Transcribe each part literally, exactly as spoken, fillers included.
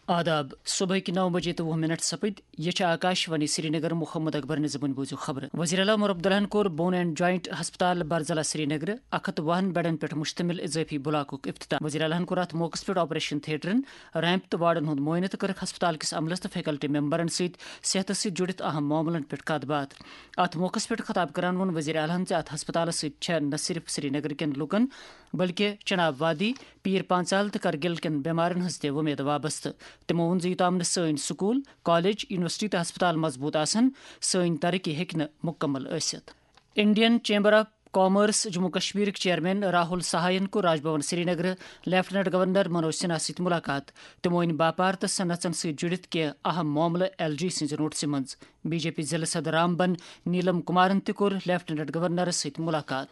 آداب، صبحٕکۍ نو بجے تہٕ وُہ منٹ سپٕدۍ۔ یہِ چھِ آکاش وانی سرینگر۔ محمد اکبر نظمن بوٗزِو خبرٕ۔ وزیر اعلیٰ عمر عبداللہن کوٚر بون اینڈ جوائنٹ ہسپتال برزلا سرینگر اکھ ہتھ وُہن بیڈن پٮ۪ٹھ مشتمل اضٲفی بلاکُک افتتاح۔ وزیر اعلیٰ ہن کوٚر اتھ موقعس پٮ۪ٹھ آپریشن تھیٹرن، ریمپ تہٕ وارڈن ہُنٛد معائنہٕ تہٕ کٔرٕکھ ہسپتال کِس عملس تہٕ فیکلٹی ممبرن سۭتۍ صحتس سۭتۍ جُڑِتھ اہم معاملن پٮ۪ٹھ کتھ باتھ۔ اتھ موقعس پٮ۪ٹھ خطاب کران ووٚن وزیر اعلیٰ ہن زِ اتھ ہسپتالس سۭتۍ چھےٚ نہ صرف سرینگر کٮ۪ن لوٗکن بلکہِ چناب وادی، پیر پانژال تہٕ کرگل کٮ۪ن بیمارن ہٕنٛز تہِ وۄمید وابستہٕ۔ تِمو ووٚن زِ یوٚتام نہٕ سٲنۍ سکوٗل، کالج، یونیورسٹی تہٕ ہسپتال مضبوٗط آسن، سٲنۍ ترقی ہیٚکہِ نہٕ مُکمل ٲسِتھ۔ Indian chamber of commerce Jammu کشمیرٕکۍ چیئرمین راہل سہائن کوٚر راج بھون سرینگرٕ لیفٹیننٹ گورنر منوج سنہا سۭتۍ ملاقات۔ تِمو أنۍ باپار تہٕ صنعژن سۭتۍ جُڑِتھ کینٛہہ اہم معاملہٕ ایل جی سٕنٛزِ نوٹسہِ منٛز۔ بی جے پی ضلعہٕ صدر رام بن نیلم کمارن تہِ کوٚر لیفٹیننٹ گورنرس سۭتۍ ملاقات۔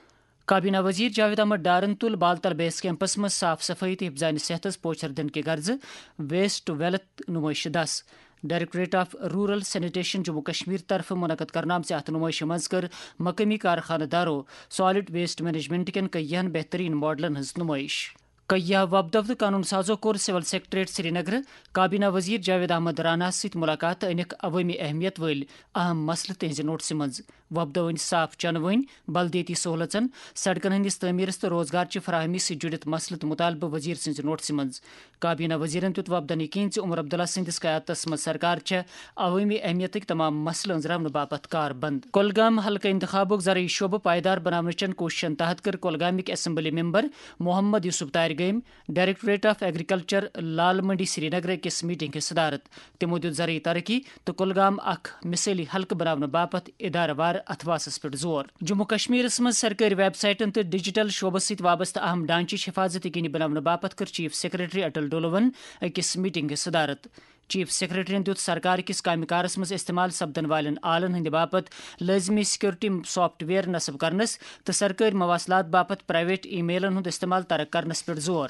کابینہ وزیر جاوید احمد ڈارن تُل بالتل بیس کیمپس منٛز صاف صفائی تہٕ حفظان صحتس پوچھر دِنہٕ کہِ غرضہٕ ویسٹ ٹو ویلتھ نمائش دس۔ Directorate of rural sanitation Jammu Kashmir طرفہٕ منعقد کرنہٕ آمژِ اتھ نمائشہِ منٛز کٔر مقٲمی کارخانہٕ دارو سالڈ ویسٹ مینجمنٹ کٮ۪ن کینٛہَن بہترین ماڈلن ہٕنٛز نمائش۔ کیٛاہ وۄپدو تہٕ قونوٗن سازو کوٚر سول سیکرٹریٹ سرینگرٕ کابینہ وزیر جاوید احمد راناہَس سۭتۍ ملاقات تہٕ أنِکھ عوٲمی اہمیت وٲلۍ اہم مسلہٕ تِہنٛزِ نوٹسہِ منٛز۔ وۄپدو أنۍ صاف چنہٕ وٲنۍ، بلدیٲتی سہوٗلژن، سڑکن ہٕنٛدِس تعمیٖرس تہٕ روزگار چہِ فراہمی سۭتۍ جُڑِتھ مسلہٕ تہٕ مُطالبہٕ وزیر سٕنٛزِ نوٹسہِ منٛز۔ کابینہ وزیرن دیُت وۄپدن یقین زِ عمر عبداللہ سٕنٛدِس قیادتس منٛز سرکار چھےٚ عوٲمی اہمیتٕکۍ تمام مسلہٕ أنٛزراونہٕ باپتھ کاربند۔ کۄلگام حلقہٕ انتخابُک زرعی شعبہٕ پائیدار بناونٕچن کوٗششن تحت کٔر کۄلگامٕکۍ اسمبلی ممبر محمد یوسف تارِ گٲمۍ ڈائریکٹوریٹ آف ایگریکلچر لال منڈی سرینگر أکِس میٹنگ ہٕنٛز صدارت۔ تِمو دیُت زرعی ترقی تہٕ کۄلگام اکھ مثٲلی حلقہٕ بناونہٕ باپتھ ادارٕ وار اتھواسس پٮ۪ٹھ زور۔ جموں کشمیرس منٛز سرکٲرۍ ویب سائٹن تہٕ ڈیجیٹل شعبس سۭتۍ وابستہٕ اہم ڈھانچٕچ حفاظت یقینی بناونہٕ باپتھ کٔر چیف سیکرٹری اٹل ڈولون أکِس میٹنگ ہٕنٛز صدارت۔ چیف سیکرٹریَن دیُت سرکار کِس کامہِ کارس منٛز استعمال سپدن والٮ۪ن آلن ہٕنٛدِ باپتھ لٲزمی سیکورٹی سافٹ ویئر نصب کرنس تہٕ سرکٲرۍ مواصلات باپتھ پرائیویٹ ای میلن ہُنٛد استعمال ترک کرنس پٮ۪ٹھ زور۔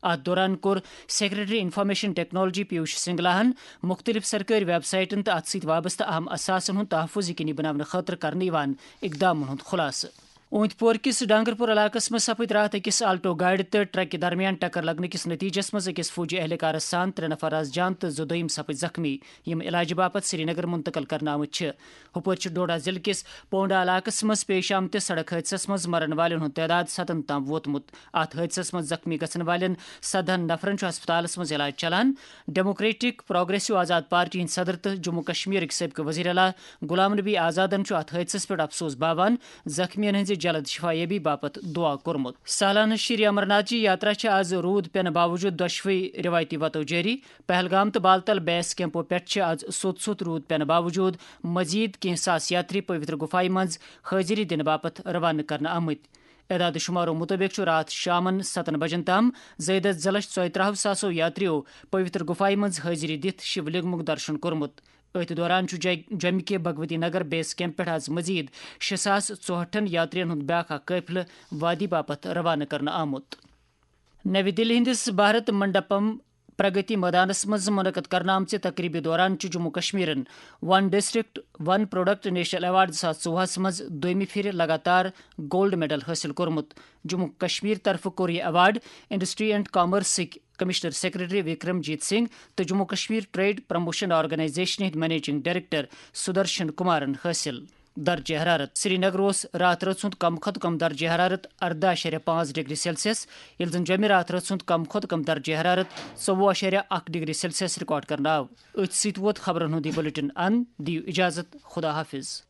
اتھ دوران کوٚر سیکرٹری انفارمیشن ٹیکنالوجی پیوش سنگلاہن مُختٔلِف سرکٲرۍ ویب سائٹن تہٕ اتھ سۭتۍ وابستہٕ اہم اثاثن ہُنٛد تحفظ یقینی بناونہٕ خٲطرٕ کرنہٕ یِوان اقدامن ہُنٛد خُلاصہٕ۔ اوٗنتۍ پور کِس ڈانگرپور علاقس منٛز سپٕدۍ راتھ أکِس آلٹو گاڑِ تہٕ ٹرکہِ درمیان ٹکر لگنہٕ کِس نتیجس منٛز أکِس فوجی اہلکارس سان ترٛےٚ نفر آز جان تہٕ زٕ دوٚیِم سپٕدۍ زخمی، یِم علاجہٕ باپتھ سرینگر منتقل کرنہٕ آمٕتۍ چھِ۔ ہُپٲرۍ چھِ ڈوڈا ضلعہٕ کِس پونڈا علاقس منٛز پیش آمتِس سڑک حٲدثس منٛز مرن والٮ۪ن ہُنٛد تعداد ستن تام ووتمُت۔ اتھ حٲدثس منٛز زخمی گژھن والٮ۪ن سدہن نفرن چھُ ہسپتالس منٛز علاج چلان۔ ڈیموکریٹک پروگریسو آزاد پارٹی ہٕنٛدۍ صدر تہٕ جموں کشمیرٕکۍ سٲبقہٕ وزیر اعلیٰ غلام نبی آزادن چھُ اتھ حٲدثس پٮ۪ٹھ افسوس باوان، زخمیَن ہٕنٛزِ جلد شفایابی باپتھ دعا کوٚرمُت۔ سالانہٕ شری امرناتھ جی یاترا چھِ آز روٗد پٮ۪نہٕ باوجوٗد دۄشوٕے رِوایتی وتو جٲری۔ پہلگام تہٕ بالتل بیس کیمپو پٮ۪ٹھ چھِ آز سوٚت سوٚت روٗد پٮ۪نہٕ باوجوٗد مزید کینٛہہ ساس یاتری پویتر گُفایہِ منٛز حٲضری دِنہٕ باپتھ روانہٕ کرنہٕ آمٕتۍ۔ اعداد شمارو مُطٲبِق چھُ راتھ شامَن ستن بجن تام زٲیدس زٕ لچھ ژۄیہِ ترٛہو ساسو یاتریو پویتر گُفایہِ منٛز حٲضری دِتھ شِو لنگمُک درشن کوٚرمُت۔ أتھۍ دوران چھُ جے-، جوٚمہِ کہِ بھگوتی نگر بیس کیمپ پٮ۪ٹھ آز مزید شےٚ ساس ژُہٲٹھن یاترین ہُنٛد بیاکھ اکھ قٲفلہٕ وادی باپتھ روانہٕ کرنہٕ آمُت۔ نَوِ دِلہِ ہٕنٛدِس بھارت منڈپم پرگتی مٲدانس منٛز منعقد کرنہٕ آمژِ تقریبہِ دوران چھُ جموں کشمیرن ون ڈسٹرکٹ ون پروڈکٹ نیشنل ایوارڈ زٕ ساس ژوٚوُہس منٛز دوٚیمہِ پھِرِ لگاتار گولڈ میڈل حٲصِل کوٚرمُت۔ جموں کشمیر طرفہٕ کوٚر یہِ ایوارڈ انڈسٹری اینڈ کامرسٕکۍ commissioner secretary Vikramjit Singh تہٕ Jammu Kashmir trade promotion organisation ہٕنٛدۍ منیجنگ ڈائریکٹر سدرشن کمارن حٲصِل۔ درجہ حرارت۔ سرینگر اوس راتھ رٲژ ہُنٛد کم کھۄتہٕ کم درجہ حرارت ارداہ اعشاریہ پانٛژھ ڈگری سیلسیس، ییٚلہِ زن جوٚمہِ راتھ رٲژ ہُنٛد کم کھۄتہٕ کم درجہ حرارت ژوٚوُہ اعشاریہ اکھ ڈگری سیلسیس ریکارڈ کرنہٕ آو۔ أتھۍ سۭتۍ ووت خبرن ہُنٛد یہِ بلیٹن اند۔ دِیِو اجازت، خدا حافظ۔